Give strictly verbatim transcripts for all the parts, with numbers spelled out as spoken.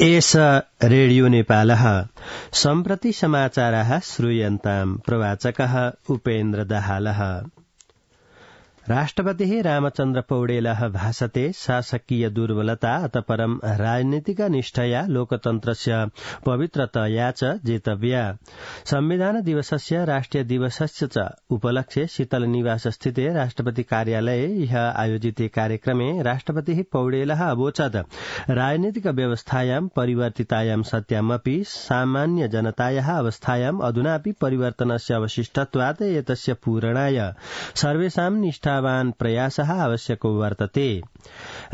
एष रेडियो नेपालः सम्प्रति समाचाराः श्रूयन्ताम् प्रवाचकः उपेन्द्र दाहालः। राष्ट्रपतिः रामचन्द्र पौडेलः भाषते शासकीय दुर्बलता अत परं राजनीतिक निष्ठया लोकतन्त्रस्य पवित्रतया च जेतव्या। संविधान दिवसस्य राष्ट्रिय दिवसस्य च उपलक्ष्ये शीतल निवास स्थिते राष्ट्रपति कार्यालये ह्य आयोजिते कार्यक्रमे राष्ट्रपतिः पौडेलः अवोचत् राजनीतिक व्यवस्थायां परिवर्तितायां सत्यामपि सामान्य जनतायाः अवस्थायां अधुनापि परिवर्तनस्य अवशिष्टत्वात् एतस्य पूरणाय सर्वेषां निष्ठा प्रयासः आवश्यको वर्तते।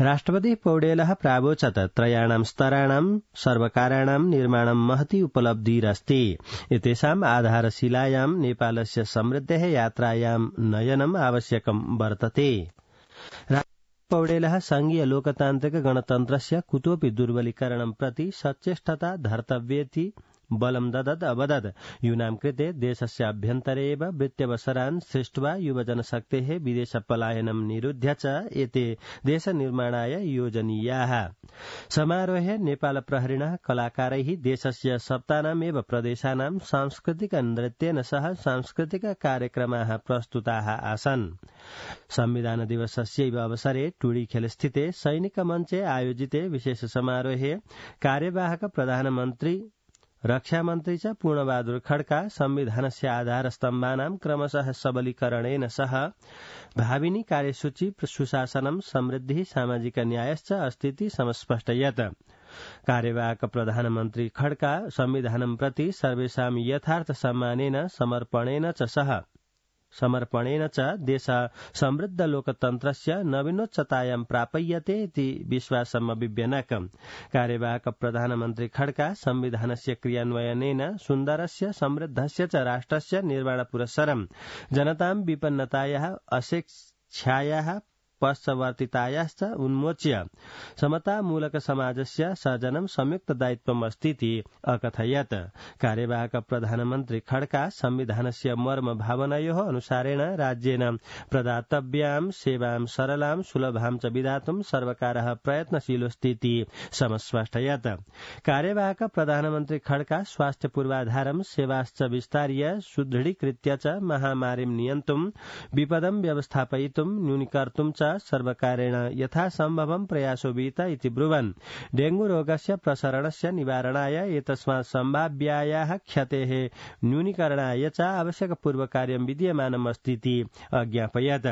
राष्ट्रपति पौडेलः प्रावोचत् त्रयाणां स्तराणां सर्वकाराणां निर्माणं महती उपलब्धिरस्ति। एतेषाम् आधारशिलायां नेपालस्य समृद्धेः यात्रायां नयनम् आवश्यकं वर्तते। पौडेलः संघीय लोकतान्त्रिक गणतन्त्रस्य कुतोऽपि दुर्बलीकरणं प्रति सचेष्टता धर्तव्येति बलं ददत् अवदत्। यूनां कृते देशस्य अभ्यन्तरे एव वृत्त्यवसरान् सृष्ट्वा युवजनशक्तेः विदेश पलायनं निरुध्य च एते देशनिर्माणाय योजनीयाः। समारोहे नेपाल प्रहरिणः कलाकारैः देशस्य सप्तानामेव प्रदेशानां सांस्कृतिक नृत्येन सह सांस्कृतिक कार्यक्रमाः प्रस्तुताः आसन्। संविधान दिवसस्यैव अवसरे टुडीखेल स्थिते सैनिक मञ्चे आयोजिते विशेष समारोहे कार्यवाहक प्रधानमन्त्री रक्षामन्त्री च पूर्णबहादुर खड्का संविधानस्य आधारस्तम्भानां क्रमशः सबलीकरणेन सह भाविनी कार्यसूची सुशासनं समृद्धिः सामाजिक न्यायश्च अस्तीति समस्पष्टयत्। कार्यवाहक प्रधानमन्त्री खड्का संविधानं प्रति सर्वेषां यथार्थ सम्मानेन समर्पणेन च सह समर्पणेन च देश समृद्ध लोकतन्त्रस्य नवीनोच्चतायां प्रापयते इति विश्वासम् अभिव्यनक्। कार्यवाहक प्रधानमन्त्री खड्का संविधानस्य क्रियान्वयनेन सुन्दरस्य समृद्धस्य च राष्ट्रस्य निर्माणपुरस्सरं जनतां विपन्नतायाः अशिक्षायाः पश्चवर्तितायाश्च उन्मोच्य समतामूलक समाजस्य सर्जनं संयुक्त दायित्वम् अस्तीति अकथयत्। कार्यवाहक प्रधानमन्त्री खड्का संविधानस्य मर्म भावनयोः अनुसारेण राज्येन प्रदातव्यां सेवां सरलां सुलभां च विधातुं सर्वकारः प्रयत्नशीलोऽस्तीति समस्पष्टयत्। कार्यवाहक प्रधानमन्त्री खड्का स्वास्थ्य पूर्वाधारं सेवाश्च विस्तार्य सुदृढीकृत्य च महामारीं नियन्तुं विपदं व्यवस्थापयितुं न्यूनीकर्तुं च सर्वकारेण यथासम्भवं प्रयासो विहित इति ब्रुवन् डेंगू रोगस्य प्रसरणस्य निवारणाय एतस्मात् सम्भाव्यायाः क्षतेः न्यूनीकरणाय च आवश्यकपूर्वकार्यं विद्यमानम् अस्तीति अज्ञापयत्।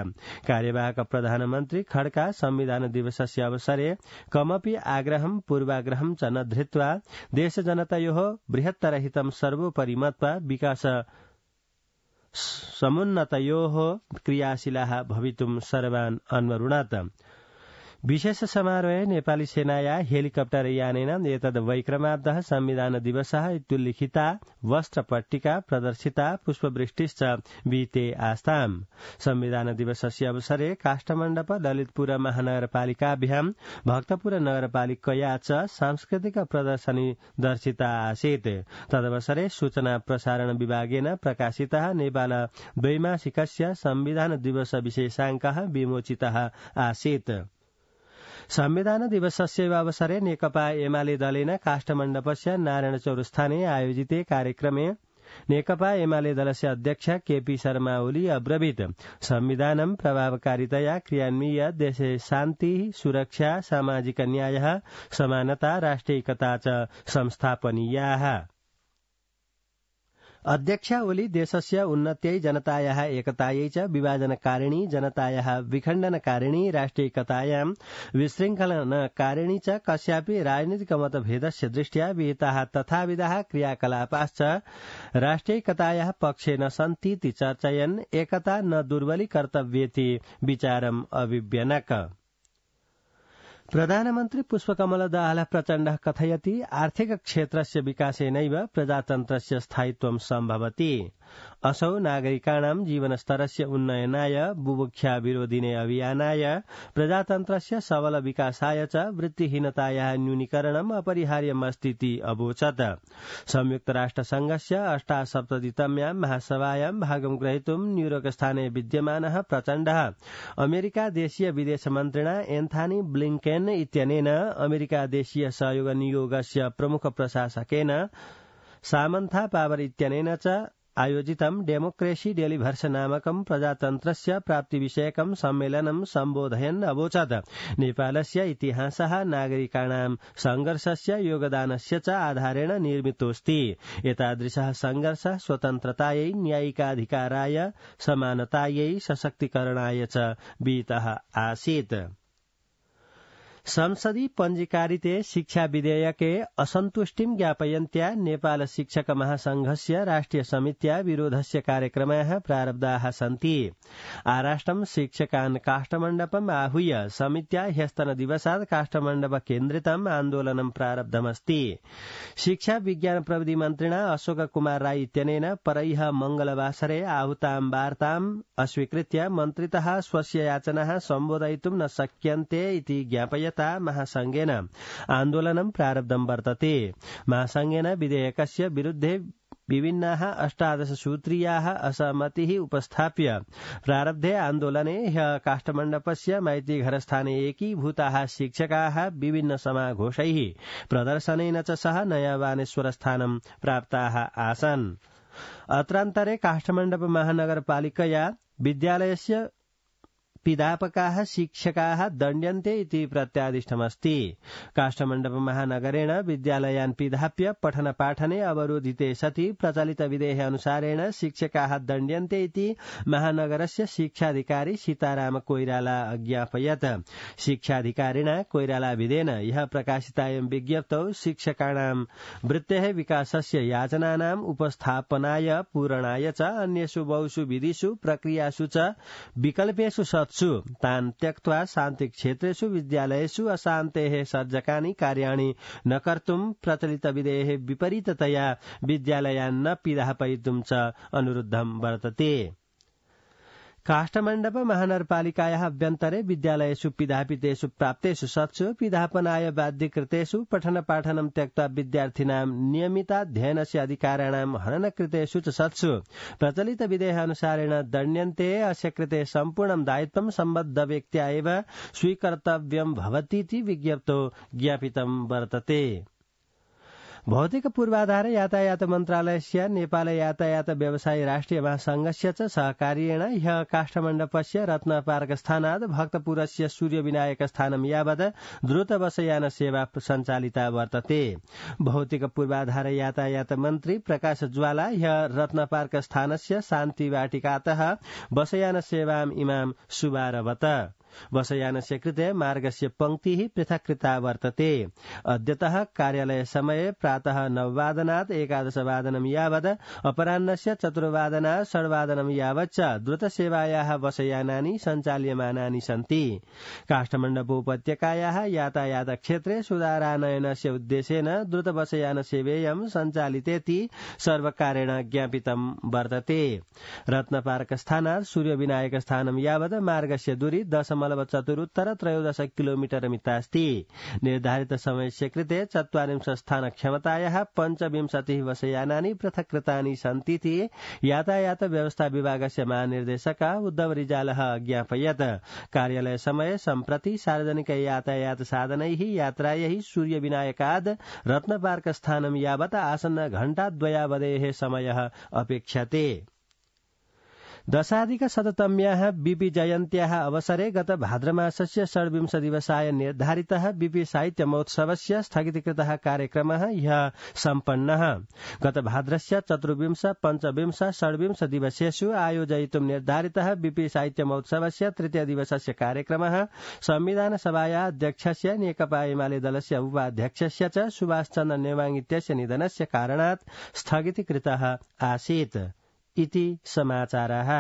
कार्यवाहक प्रधानमन्त्री खड्का संविधान दिवसस्य अवसरे कमपि आग्रहं पूर्वाग्रहं च न धृत्वा देशजनतयोः बृहत्तरहितं सर्वोपरि मत्वा विकास समुन्नतयोः क्रियाशीलाः भवितुं सर्वान् अन्वरुणात्। विशेष समारोहे नेपाली सेनाया हेलिकप्टर यानेन एतद् वैक्रमाब्दः संविधान दिवसः इत्युल्लिखिता वस्त्रपट्टिका प्रदर्शिता पुष्पवृष्टिश्च विहिते आस्ताम्। संविधान दिवसस्य अवसरे काष्ठमण्डप ललितपुर महानगरपालिकाभ्यां भक्तपुर नगरपालिकया च सांस्कृतिक प्रदर्शनी दर्शिता आसीत्। तदवसरे सूचना प्रसारण विभागेन प्रकाशितः नेपाल द्वैमासिकस्य संविधान दिवस विशेषाङ्कः विमोचितः आसीत्। संविधान दिवसस्य अवसरे नेकपा एमाले दलेन काष्ठमण्डपस्य नारायण चौरस्थाने आयोजिते कार्यक्रमे नेकपा एमाले दलस्य अध्यक्ष केपी शर्मा ओली अब्रवीत् संविधानं प्रभावकारितया क्रियान्वीय देशे शान्तिः सुरक्षा सामाजिक न्यायः समानता राष्ट्रियैकता च संस्थापनीयाः। अध्यक्ष ओली देशस्य उन्नत्यै जनतायाः एकतायै च विभाजनकारिणी जनतायाः विखण्डनकारिणी राष्ट्रियैकतायां विशृङ्खलनकारिणी च कस्यापि राजनीतिक मतभेदस्य दृष्ट्या विहिताः तथाविधाः क्रियाकलापाश्च राष्ट्रियैकतायाः पक्षे न सन्तीति चर्चयन् एकता न दुर्बलीकर्तव्येति विचारम् अभिव्यनक्। प्रधानमन्त्री पुष्पकमल दाहाल प्रचण्डः कथयति आर्थिक क्षेत्रस्य विकासेनैव प्रजातन्त्रस्य स्थायित्वं सम्भवति। असौ नागरिकाणां जीवनस्तरस्य उन्नयनाय बुभुक्षा विरोधिने अभियानाय प्रजातन्त्रस्य सबल विकासाय च वृत्तिहीनतायाः न्यूनीकरणम् अपरिहार्यमस्तीति अवोचत्। संयुक्त राष्ट्र संघस्य अष्टासप्ततितम्यां महासभायां भागं ग्रहीतुं न्यूयोर्कस्थाने विद्यमानः प्रचण्डः अमेरिका देशीय विदेश मन्त्रिणा एन्थनी ब्लिंकेन इत्यनेन अमेरिका देशीय सहयोग नियोगस्य प्रमुख प्रशासकेन सामन्था पावर इत्यनेन च आयोजितं डेमोक्रेसी डेलिभर्स नामकं प्रजातन्त्रस्य प्राप्तिविषयकं सम्मेलनं सम्बोधयन् अवोचत् नेपालस्य इतिहासः नागरिकाणां संघर्षस्य योगदानस्य च आधारेण निर्मितोऽस्ति। एतादृशः संघर्षः स्वतन्त्रतायै न्यायिकाधिकाराय समानतायै सशक्तिकरणाय च विहितः आसीत्। संसदि पञ्जीकारिते शिक्षा विधेयके असन्तुष्टिं ज्ञापयन्त्या नेपाल शिक्षक महासंघस्य राष्ट्रिय समित्या विरोधस्य कार्यक्रमाः प्रारब्धाः सन्ति। आराष्ट्रं शिक्षकान् काष्ठमण्डपम् आहूय समित्या ह्यस्तनदिवसात् काष्ठमण्डप केन्द्रितम् आन्दोलनं प्रारब्धमस्ति। शिक्षा विज्ञान प्रविधि मन्त्रिणा अशोक कुमार राई इत्यनेन परह्य मंगलवासरे आहूतां वार्ताम् अस्वीकृत्य मन्त्रितः स्वस्य याचनाः सम्बोधयितुं न शक्यन्ते इति ज्ञापयत् महासंघेन आन्दोलनं प्रारब्धं वर्तते। महासंघेन विधेयकस्य विरुद्धे विभिन्नाः अष्टादश सूत्रीयाः असहमतिः उपस्थाप्य प्रारब्धे आन्दोलने ह्यः काष्ठमण्डपस्य मैत्रीघरस्थाने एकीभूताः शिक्षकाः विभिन्न समाघोषैः प्रदर्शनेन च सह नयावानेश्वरस्थानं प्राप्ताः आसन्। अत्रान्तरे काष्ठमण्डप महानगरपालिकया विद्यालयस्य पिधापकाः शिक्षकाः दण्ड्यन्ते इति प्रत्यादिष्टमस्ति। काष्ठमण्डप महानगरेण विद्यालयान् पिधाप्य पठनपाठने अवरोधिते सति प्रचलित विधेः अनुसारेण शिक्षकाः दण्ड्यन्ते इति महानगरस्य शिक्षाधिकारी सीताराम कोइराला अज्ञापयत्। शिक्षाधिकारिणा कोइराला विधेन ह्यः प्रकाशितायां विज्ञप्तौ शिक्षकाणां वृत्तेः विकासस्य याचनानाम् उपस्थापनाय पूरणाय च अन्येषु बहुषु विधिषु प्रक्रियासु च विकल्पेषु सत्सु तान् त्यक्त्वा शान्तिक्षेत्रेषु विद्यालयेषु अशान्तेः सर्जकानि कार्याणि न कर्तुं प्रचलितविधेः विपरीततया विद्यालयान् न पिधापयितुं च अनुरुद्धं वर्तते। काष्ठमण्डप महानगरपालिकायाः अभ्यन्तरे विद्यालयेषु पिधापितेषु प्राप्तेषु सत्सु पिधापनाय बाध्यकृतेषु पठनपाठनं त्यक्त्वा विद्यार्थिनां नियमिताध्ययनस्य अधिकाराणां हननकृतेषु च सत्सु प्रचलित विधेः अनुसारेण दण्ड्यन्ते। अस्य कृते सम्पूर्णं दायित्वं सम्बद्ध व्यक्त्या एव स्वीकर्तव्यं भवतीति विज्ञप्तौ ज्ञापितं वर्तते। भौतिक पूर्वाधार यातायात मन्त्रालयस्य नेपाल यातायात व्यवसायी राष्ट्रिय महासंघस्य च सहकार्येण ह्यः काष्ठमण्डपस्य रत्नपार्कस्थानात् भक्तपुरस्य सूर्यविनायकस्थानं यावत् द्रुतबसयान सेवा सञ्चालिता वर्तते। भौतिक पूर्वाधार यातायात मन्त्री प्रकाश ज्वाला ह्यः रत्नपार्कस्थानस्य शान्तिवाटिकातः बसयान सेवाम् इमां शुभारभत। बसयानस्य कृते मार्गस्य पंक्तिः पृथक् कृता वर्तते। अद्यतः कार्यालय समये प्रातः नववादनात् एकादशवादनं यावत् अपराह्नस्य चतुर्वादनात् षड्वादनं यावत् च द्रुतसेवायाः बसयानानि सञ्चाल्यमानानि सन्ति। काष्ठमण्डपोपत्यकायाः यातायात क्षेत्रे सुधारानयनस्य उद्देश्येन द्रुतबसयान सेवेयं सञ्चालितेति सर्वकारेण ज्ञापितं वर्तते। रत्नपार्कस्थानात् सूर्यविनायकस्थानं यावत् मार्गस्य दूरी दशमलव चतुरुत्तर त्रयोदश किलोमीटर मितास्ति। निर्धारित समयस्य कृते चत्वारिंशत् स्थान क्षमतायाः पञ्चविंशतिः बसयानानि पृथक् कृतानि सन्तीति यातायात व्यवस्था विभागस्य महानिर्देशक उद्धव रिजालः अज्ञापयत्। कार्यालय समये सम्प्रति सार्वजनिक यातायात साधनैः यात्रायै सूर्यविनायकाद् रत्नपार्कस्थानं यावत् आसन्न घण्टाद्वयावधेः समयः अपेक्षते। दशाधिक शततम्याः बीपी जयन्त्याः अवसरे गत भाद्रमासस्य षड्विंश दिवसाय निर्धारितः बीपी साहित्य महोत्सवस्य स्थगितीकृतः कार्यक्रमः ह्यः सम्पन्नः। गत भाद्रस्य चतुर्विंश पञ्चविंश षड्विंश दिवसेषु आयोजयितुं निर्धारितः बीपी साहित्य महोत्सवस्य तृतीय दिवसस्य कार्यक्रमः संविधान सभायाः अध्यक्षस्य नेकपा एमाले दलस्य उपाध्यक्षस्य च सुभाष चन्द्र नेवाङ इत्यस्य निधनस्य कारणात् स्थगितीकृतः आसीत् इति समाचारः।